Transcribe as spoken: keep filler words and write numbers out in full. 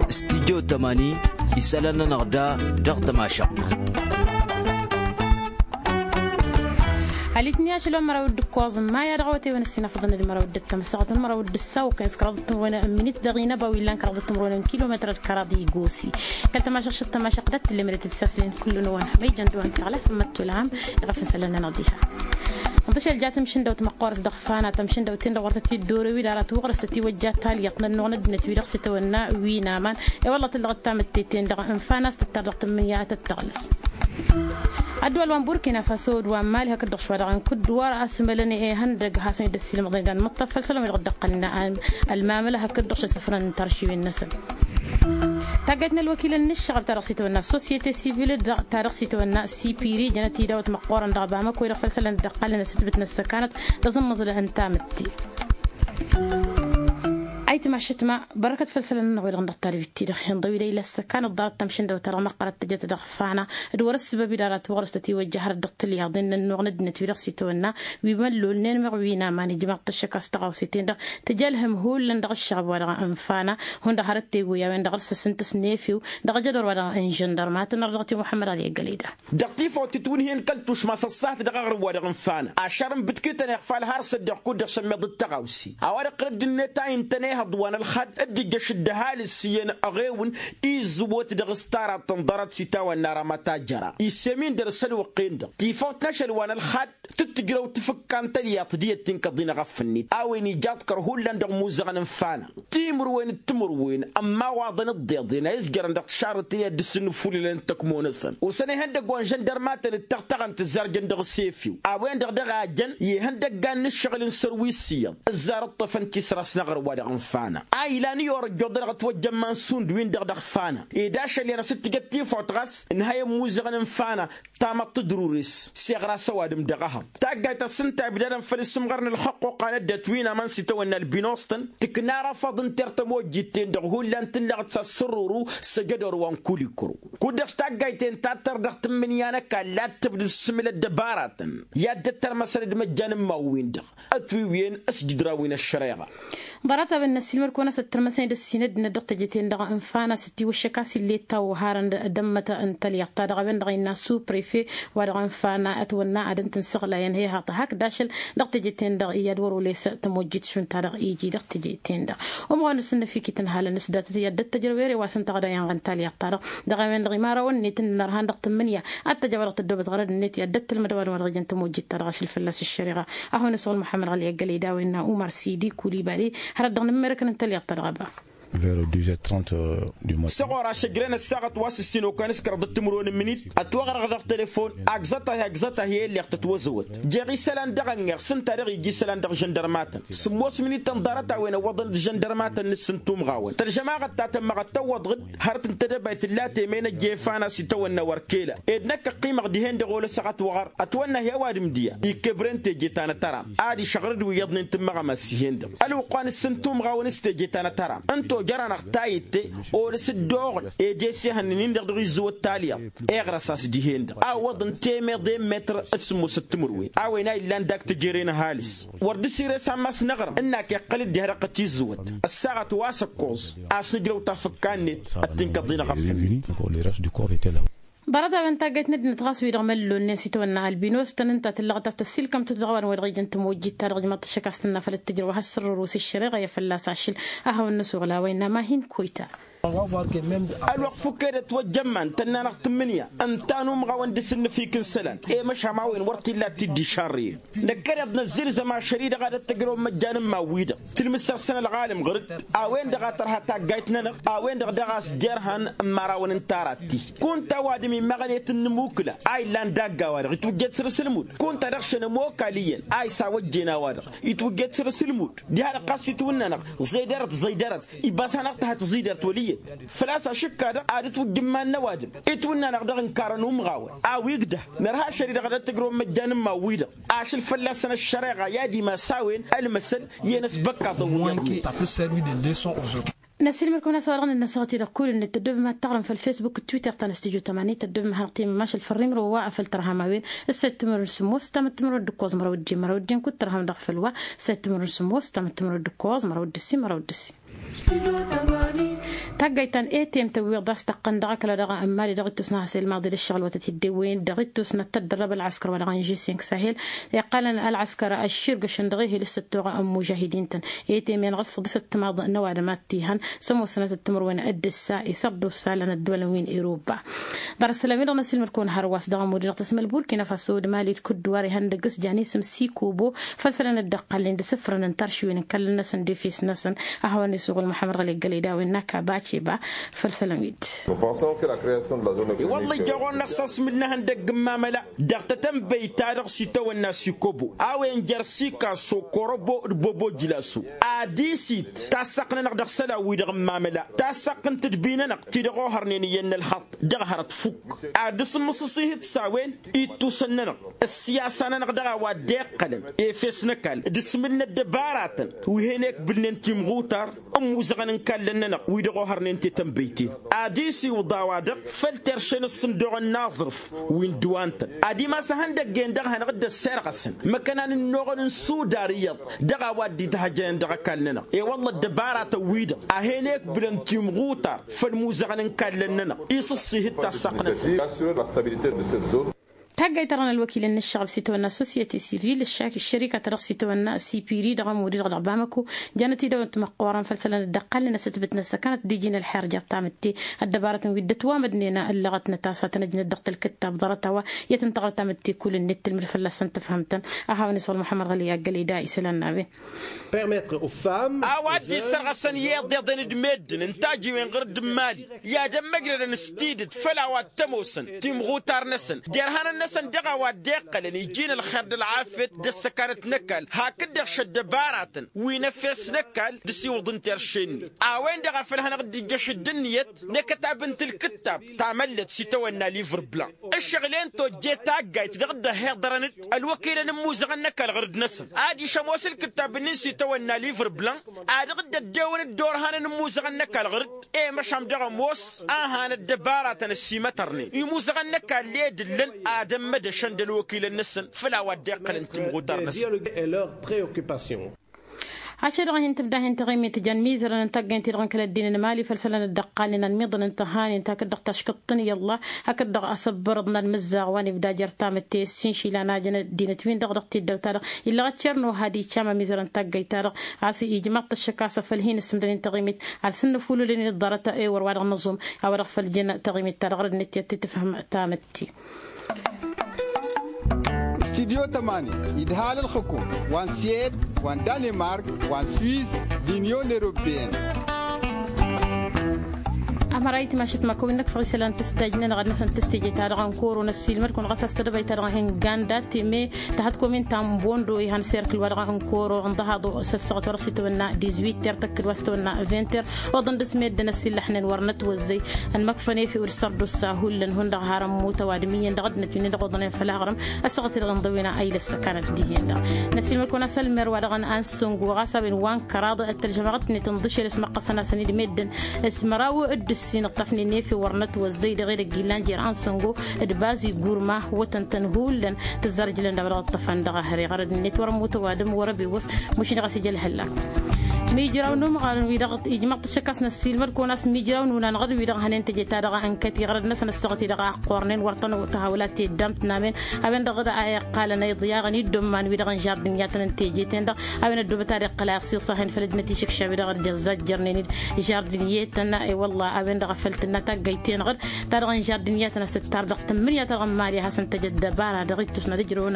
Studyo tămani isălan-nănăɣ da dăɣ-tămašăɣt. Alitni ašăl wa n-măraw d-ǝkkoẓ n-maya dăɣ-awătay wa n-ăssinafăḍăn d-măraw d-ăttămăsăɣăt wa n-măraw d-ǝssaw kăyăn s-kăraḍ d-tǝmrăwăn n-minit dăɣ-inăba wi llan kăraḍ d-tǝmrăwăn n-kilometăr d-kăraḍ igosi. Kăl-tămašăɣt šăt tămašăɣt d-ăttǝllemret d-saslen kull-năwăn ma ijăn dăɣ-wăn tăɣla s-ămmăttol a ham iɣăf n-isălan-nănăɣ diha. Ǝnḍǝšel ja tǝmšǝndăwt măqqoorăt dăɣ-fana tămšǝndăwt-ten-dăɣ wăr tăt-dd-orăw-dd arat wăɣrăs tătiwăjja talyaḍt n-ănnuɣ n-ăddinăt wi-dăɣ s-itawănna wi n-aman. I-wălla tǝllăɣ d-tamǝtte-ten-dăɣ n-fana s-tǝttar dăɣ-tǝmmǝnǝya ad-tăt-tăɣlăs. Ădduwăl wa n-burkina faso d-wa n-mali hakd-dăɣ šwa dăɣ-inkǝdd wăr-asmălăn ihăndăg hasăn-dd-ăssiilmăḍăn idan mǝṭṭăf făll-isălan wi-dăɣ dd-ăqqălnen ălmamăla hakd-dăɣ šăsǝfrăn n-taršiwen-năsăn. Taggayt n-ălwăkilăn n-ǝššăɣǝl ta dăɣ-s itawănna societe civile ta dăɣ-s itawănna sipiri jănăt idawăt măqqoorăn dăɣ-bamăko-i-dăɣ făll-isălan dd-ăqqălnen asǝtbǝt n-ăssăkanăt d-aẓǝmmăẓǝl n-tamǝtte. Ayǝtma šătma bărăkăt făll-isălan-nănăɣ wi-dăɣ n-dăɣ-tadbit-ti-dăɣ inḍăw-dd a ila ăssăkan ăḍḍarăt tamšǝndăwt-ta-dăɣ măqqărăt tăjăt dăɣ-fana d-wăr-ăssǝbăb-dd arat wăɣrăs tătiwăjja hărăt dăɣ-tǝlyaḍen n-ănnuɣ n-ăddinăt wi-dăɣ s-itawănna wi măllolnen meɣ wi n-aman ijmaḍ-t ăššăk a-s tăɣawse-ten-dăɣ tǝja ălhǝm hullan dăɣ-ǝššăɣăb wa dăɣ-n fana. Hundăɣ hărăt teggu i-a-wen dăɣ-ărsăs n-tǝsnefiw dăɣ-ajădor wa dăɣ-n žăndărma tǝnnăr dăɣ-t i-muḥămmăd ɣali ăggălăy da. Dăɣ-tifawt tǝtwǝnhǝyăn kăl-tušma s-ăṣṣahat dăɣ-aɣrǝm wa dăɣ-n fana ašăr n-bǝtkǝtăn iɣfal har s-ăddiɣ kud-dăɣ sămmeḍ d-tăɣawse a-wa-dăɣ qărǝd-net a intăn ehăḍ wa n-ălxad dd-ijjăš dd-ăhalǝs iyyăn ăɣewǝn. Izzǝwwăt dăɣ-s taraḍt tǝnḍărăt s-itawănna rămăt a jăra isem-in dăr-s ălwăqq-en-dăɣ tifawt n-ašăl wa n-ălxad tǝttǝjrăw tǝfǝkka n-tălyaḍt d-iyyăt tinkăḍ-in ăɣăf-net a-wen ija aḍkăr hullan dăɣ-imuzăɣăn n-fana timǝrwen d-timǝrwen ămmawaḍăn d-iḍeḍen a izjărăn dăɣ-tišarrǝten i-ad-dd-ǝssǝnnǝfulǝlăn tăkmo-năsăn osăn ihăndăgg wa n-žăndărmatăn d-tăɣtăɣăn tǝzzarjăn dăɣ-s efew a-wen-dăɣ daɣ a jăn i-ihăndăggan n-ǝššăɣǝl n-sărwi s-iyyăḍ ǝzzar ǝṭṭăfăn tisras n-aɣrǝm wa dăɣ-n fana a ilan i-orăt joḍănăɣ ătwăjjăn iman sund-win-dăɣ dăɣ-fana ed ašăl i-ad-năsǝttǝjăt tifawt ɣas ǝnhăyăn imuzăɣăn n-fana. Tamăḍt d-rures s-iɣras ăwadǝm dăɣ-ehăḍ taggayt a-s ǝnta a ibdadăn făll-isǝmɣăr n-ălxăqquqa n-ăddinăt wi n-aman s-itawănna ălbinostan tǝkna arăfaḍ n-tirr tămojjit-ten-dăɣ hullan tǝlleɣ-dd s-asǝrruru s-ejădor wa n-kulikru. Kud-dăɣ taggayt-en tattăr dăɣ-tǝmmǝnǝya n-ăkall ad-tǝbdǝd s-isǝmǝl ăddăbaratăn i-ad-dd-ăttărmăsăn d-imăjjan n-imawwin-dăɣ ătwǝwwen s-jǝdrawin ăššăreɣa. Ḍarăt-a-wen n-ăssiilmăd-kăwăn-as ăttărmăsăn d-ăssinăddinăt dăɣ-teje-ten-dăɣ n-fana s-dd-tiwǝššăk a-s ill'-e dd-tawwăharăn d-ămmăt n-tălyaḍt-ta-dăɣ a-wen-dăɣ innă su-prefe wa dăɣ-n fana ătwănna ad-ǝntǝnsăɣlayăn he-haḍ hakd ašăl dăɣ-teje-ten-dăɣ i-ad-wăr-oles tămojjit šund-ta-dăɣ iji dăɣ-teje-ten-dăɣ. Umăɣ-wa n-asǝnnăf ikităn halăn s-datăt i-ad-dd-ăttăjrăw ere wa s-ǝnta ɣǝda iyyăn ɣăn tălyaḍt-ta-dăɣ dăɣ-a-wen-dăɣ imărawăn-net n-inărhan dăɣ-tǝmmǝnǝya ad-tăj a-wa dăɣ-tăddoobăt ɣărăd-net i-ad-dd-ăttălmăd ăwadǝm wa dăɣ-ijăn tămojjit-ta-dăɣ ašăl fălla-s ăššăreɣa. Ad-hawăn-isăɣul muḥămmăd ɣali ăggălăy d-a-wen n-umăr sidi kulibali hărăt dăɣ-nǝmmerăkăn n-tălyaḍt-ta-dăɣ ăba. Vers douze heures trente du matin. Săɣora šăjren ăssaɣăt wa s-ǝssin okăyăn s-kăraḍăt timǝrwen n-imǝnit ătwăɣrăɣ dăɣ-telefon. Agzăt-ahi agzăt-ahi i-illeɣ tătwăzăwăt jeɣ isălan dăɣ-ănŋeɣ s-ǝnta dăɣ-iji isălan dăɣ-žăndărmatăn sǝmmos minităn ḍarăt-a-wen ăwwăḍăn d-žăndărmatăn n-ǝssǝn tumɣawăn tălžăm aɣăttat ămmăɣ ad-tăwwăḍăd. Hărăt n-tedăbayt tǝlla temăyăn ăjjefan a-s itawănna wăr kela ed năkk ăqqimăɣ dihen-dăɣ olăsăɣ ătwăɣăr ătwănna he-ăwadǝm diya. Ikkăbren teje ta n-atăram ad-išăɣrăd wi iyyăḍnen tǝmmăɣ ămass-ihen-dăɣ ălwăqq wa n-ǝssǝn tumɣawăn s-teje ta n-atăram. Ǝnta ojăr-anăɣ tayǝtte olăs dd-oɣǝl ed esehăn-nin-dăɣ dăɣ-izzǝwăt talyaḍt. Iɣrăs-as dihen-dăɣ a ǝwwăḍăn temeḍe n-metr d-sǝmmosăt timǝrwen a-wen a illan dak tejere n-ăhalǝs wăr dd-sires ammas n-aɣrǝm ǝnn'-ak iqqăl-dd diha dăɣ-tăt-izzǝwăt. Ăssaɣăt wa s-ăkkoẓ a-s nǝjrăw tafǝkka-net. Ăttinkăḍ-in ăɣăf-net. Ḍarăt-a-wen n-taggayt n-ăddinăt ɣas wi-dăɣ măllolnen s-itawănna albinos-tăn ǝnta a tǝllăɣăt a-s tăssilkăm-tăt dăɣ-a-wen wa dăɣ-ijăn tămojjit-ta-dăɣ ijmaḍ-t ăššăk a-s tǝnna făll-ăttăjrăw ad-has-sărrăru s-ǝššăreɣa i-fălla-s ašăl. A hawăn-năsuɣǝl a-wa innă ma hin-koyta. Ălwăqq fukk'-e d-ătwăjjămman tănna-năɣ tǝmmǝnǝya ǝnta n-umɣawăn d-asǝnnǝfik n-isălan i-măšan a-wen wăr t-illa ad-t-dd-išarrǝyăn. Năkkăneḍ năzzǝlzăm ašăl-i-dăɣ ad-ăttăjrăwăn imăjjan n-imawwi-dăɣ tǝlmǝsăr-săn ălɣalăm ɣăr-dd. A-wen-dăɣ a tărha taggayt-nănăɣ a-wen-dăɣ daɣ a-s dd-irhan n-imărawăn n-tarat-ti. Kunta ăwadǝm immăɣăn i-tǝnnǝmukǝla a illan dagg-a-wa-dăɣ itwǝjjed săr-asǝlmud kunta dăɣ-šăn ămokal iyyăn a isawăjjen a-wa-dăɣ itwǝjjed săr-asǝlmud. Diha-dăɣ ɣas itwǝnna-năɣ ẓeydărăt ẓeydărăt ibbas-anăɣ-tăhăt ẓidărt wăl' iyyăt. Făl-a-s ašǝkka-dăɣ ad-ǝtwǝjjǝmman n-ăwadǝm itwǝnna-năɣ dăɣ-ǝnkarăn umɣawăn a-wi ǝgdăh. Nărha ašăl-i-dăɣ ad-ăttăjrăwăn imăjjan n-imawwi-dăɣ ašăl fălla-săn ăššăreɣa i-ad-imas a-wen ălmăsăl i-enăsbăkkaḍăn wi-iyyăḍnen. Năsilmăd-kăwăn a-s a-wa dăɣ-nănnăsăɣ-t-i-dăɣ kull-net tăddobem ad-taɣrǝm făll-facebook d-twitter ta n-studyo tămani tăddobem ad-hanăɣ-temmǝm ašăl făll-rimro wa afăl tărham a-wen. Ǝssa ittǝmărun sǝmmos tamǝttǝmărun d-ǝkkoẓ măraw d-ijjin măraw d-ijjin kud-tărham dăɣ-făll-wa. Ǝssa ittǝmărun sǝmmos tamǝttǝmărun d-ǝkkoẓ măraw d-ǝssin măraw d-ǝssin. Taggayt ta n-etem tăwwiḍ a-s tăqqăn dăɣ-ăkla dăɣ-ămmali dăɣ-ittus n-ahăsel maḍi d-ăššăɣǝl wătăt iddewăyăn dăɣ-ittus n-ad-tăddărrăb ălɣăskăr wa dăɣ-n žising sahel. Iqqalăn ălɣăskăr ăšširgăšăn dăɣ-ehel s-ăttoɣ n-mužahidin-tăn. Etem-en ɣǝl săḍisăt timaḍ n-ăwadǝm ad-t-ihăn s-ămoosănăt d-timǝrwen d-ǝssa isărdus alăn ăddoolăn wi n-iruba. Ḍarăt isălan-wi-dăɣ n-asǝlmǝd-kăwăn hărwa a-s dăɣ-ămud-i-dăɣ tăsmăl burkina faso d-mali d-kudduwar ihăndăgg s-janisǝm sikobo făll-isălan dd-ăqqalnen d-asǝfrănăn taršiwen n-ikallăn-năsăn d-efes-năsăn. A hawăn-isuɣǝl muḥămmăd ɣăli ăggălăy d-a-wen n-aka baceba făll-isălan-wi-dd. I-wălla ija ɣur-năɣ s-asmǝl n-ehăndăgg n-mamăla dăɣ-tetănbăyt-ta-dăɣ s-itawănna sikobo a-wen jer-sika sokorobo d-bobo jǝlaso. Ad-isit tassăqq-nănăɣ dăɣ-isălan-wi-dăɣ n-mamăla tassăqq n-tǝdbi-nănăɣ ti-dăɣ ohărnen iyyăn n-ălxaṭṭ dăɣ-hărăt fukk. Ad-dd-sǝmmǝsǝsihǝt s-a-wen ittusăn-nănăɣ ăssiyasa-nănăɣ dăɣ-a-wa dd-iqqălăn efes n-ăkall d-asmǝl n-ăddăbaratăn wi hen-ekbǝlnen timɣutar n-imuzăɣăn n-ikallăn-nănăɣ wi-dăɣ ohărnen tetănbăyt-en. Ad-isiwǝḍ a-wa-dăɣ făll-terše n-ǝssǝndoɣăn n-aẓrǝf wi n-dd-wa ǝntăn ad-imas ihăndăgg-en-dăɣ hanăɣ-dd-ăssirɣăsăn măkkănan ǝnnuɣăn n-suda ar iyyăḍ dăɣ-a-wa dd-itahăjăyăn dăɣ-ăkall-nănăɣ. I-wălla ăddăbaratăn-wi-dăɣ a hen-ekbǝlăn timɣutar făll-imuzăɣăn n-ikallăn-nănăɣ isǝssihǝd tassăqnăsăn. Taggayt-ta-dăɣ n-ălwăkilăn n-ǝššăɣǝb s-itawănna sosyete sivil ăššărikat-ta-dăɣ s-itawănna sipiri dăɣ-ămud-i-dăɣ dăɣ-bamăko jănăt-i dăwănt măqqoorăn făll-isălan dd-ăqqalnen a-s ǝtbǝtnăt s-ăkănăt d-iji n-ălxer jer-tamǝtte. Ăddăbarătăn wi dd-ătwamădnen ǝllăɣătnăt a-s ad-tăn-ăjnăt dăɣ-talkǝttab ḍarăt a-wa i-ad-tăn-tăɣra tamǝtte kull-net tǝlmǝd fălla-săn tǝfhăm-tăn. A hawăn-isăɣ muḥămmăd ɣăli aggălăy d-isălan n-a-wen. A-wa dd-isărɣăsăn i-iḍeḍen d-meddǝn ǝnta a ăjiwen ɣur-dd n-imali i-ad-ămmăjrădăn s-tidǝt făll-a-wa t-ămoosăn timɣutar-năsăn derhanăn-năsăn dăɣ-a-wa dd-iqqălăn iji n-ălxer d-ălɣafyăt d-ăssăkanăt n-ăkall hakd-dăɣ šăddăbaratăn wi n-efes n-ăkall d-asiwǝḍ n-terše-net. A-wen-dăɣ a făl hanăɣ-dd-ijjăš d-ǝnniyăt n-ekătab n-tilkǝttab tamăllăt s-itawănna livr blan ǝššăɣǝl-en tojje taggayt dăɣ-dd-ăhhiḍărăn-dd ălwăkilăn n-imuzăɣăn n-ăkall ɣur-dd-năsăn. Ad-išămoos ǝlkǝttab-nin s-itawănna livr blan ad-dăɣ-dd-ăddewăn dd-orhanăn n-imuzăɣăn n-ăkall ɣur-dd i-măšan dăɣ-ămoos a han ăddăbaratăn ăsimătărnen imuzăɣăn n-ăkall i-dd-ǝllăn ad-ămmădăšăn d-ălwăkilăn-năsăn făll-a-wa dd-iqqălăn timɣutar-năsăn. Ašăl-dăɣ hin-tǝbda hin-taɣimit tǝjăn mizărăn n-taggăynt-i-dăɣ n-kăl-ăddin n-mali făll-isălan dd-ăqqalnen anmiḍăn n-tăhanen takǝt dăɣ-taškăḍt-tăn i-ălla hakd dăɣ-asăbbărăḍ n-ad-mǝzzaɣ wa n-ibda jer-tamǝtte s-inšila n-ajăn ăddinăt-win-dăɣ dăɣ-tiddawt-ta-dăɣ illăɣ ăccărno had-iccam amizărăn taggăyt-ta-dăɣ a-s ijmaḍ-t ăššăk a-s afăl hin-ǝssǝmdănen taɣimit ad-sǝnnǝfulǝlăn d-ḍarăt ewăr wa dăɣ-nǝẓum a-wa dăɣ-făl jăn taɣimit-ta-dăɣ ɣărăd n-ǝttiyăt ti-tǝfhǝm tamǝtte. Studyo tămani idhal ălxǝkum wa n-swed wa n-danemark wa n-swiss d-inyon europeyăn. Amăra itmašăt măkăwin-năk făɣ isălan tǝsdaj-nănăɣ ad-năsăn tǝstǝje-ta-dăɣ n-koro n-ăssiilmăd-kăwăn ɣas a-s tedăbayt-ta-dăɣ n-ganda teme tahăt komin ta n-bondo ihan serkǝl-wa-dăɣ n-koro ǝnḍăhaḍ s-ăssaɣăt wa dăɣ-s itwănna dizwit ter tăkkǝd wa s-itwănna vinter oḍăn dăr-s meddǝn ăsillăxnen wăr nătwăzzăy ănmăkfăn efew d-sărdusa hullan hundăɣ har ămmut ăwadǝm iyyăn dăɣ-ăddinăt wi-nin-dăɣ oḍănen făll-aɣrǝm. Ăssaɣăt-i-dăɣ inḍăwwen a ilăs săkanăt dihen-dăɣ năssiilmăd-kăwăn a-s ălmer wa dăɣ-n ansăngo ɣas a-wen wa n-kăraḍ ăttălžămăɣ ătnet ǝnḍǝšel s-măqqăsăn-asăn-dd meddǝn s-măraw d-ǝssin ǝṭṭăfnen efew wăr nătwăzzăy dăɣ-edăgg illan jer-ansăngo d-bazi gurma wătăn-tăn hullan tǝzzar ǝjlăn d-a-wa dăɣ-ǝṭṭăfăn dăɣ-ehăre ɣărăd-net wăr-ămmut ăwadǝm wăr-ăbewăs. Mušin ɣas ija ălhăllak mijraw n-umɣarăn wi-dăɣ ijmăḍ-t ăššăk a-s năssiilmăd-kăwăn a-s mijraw n-unan ɣăr-wi-dăɣ hănen teje-ta-dăɣ ănkăt iɣrăd-năsăn ăssaɣăt-i-dăɣ a ăqqornen wăr tăn-tahawălat teddam tǝnamen. A-wen-dăɣ a iqqalăn a iḍyaɣăn iddămman-wi-dăɣ n-žardǝnyatăn n-teje-ten-dăɣ a-wen ăddoobăt ad-iqqăl a iṣiṣahen făll-ăddinăt išǝkšaw-i-dăɣ dd-iẓẓajjărnen-dd žardǝnyetăn. I-wălla a-wen-dăɣ a făl tǝnna taggăyt-ten-dăɣ ta dăɣ-n žardǝnyatăn a-s tǝttar dăɣ-tǝmmǝnǝya ta dăɣ-n mali a hasăn-tăj ăddăbara dăɣ-ittus n-ad-ǝjrăwăn.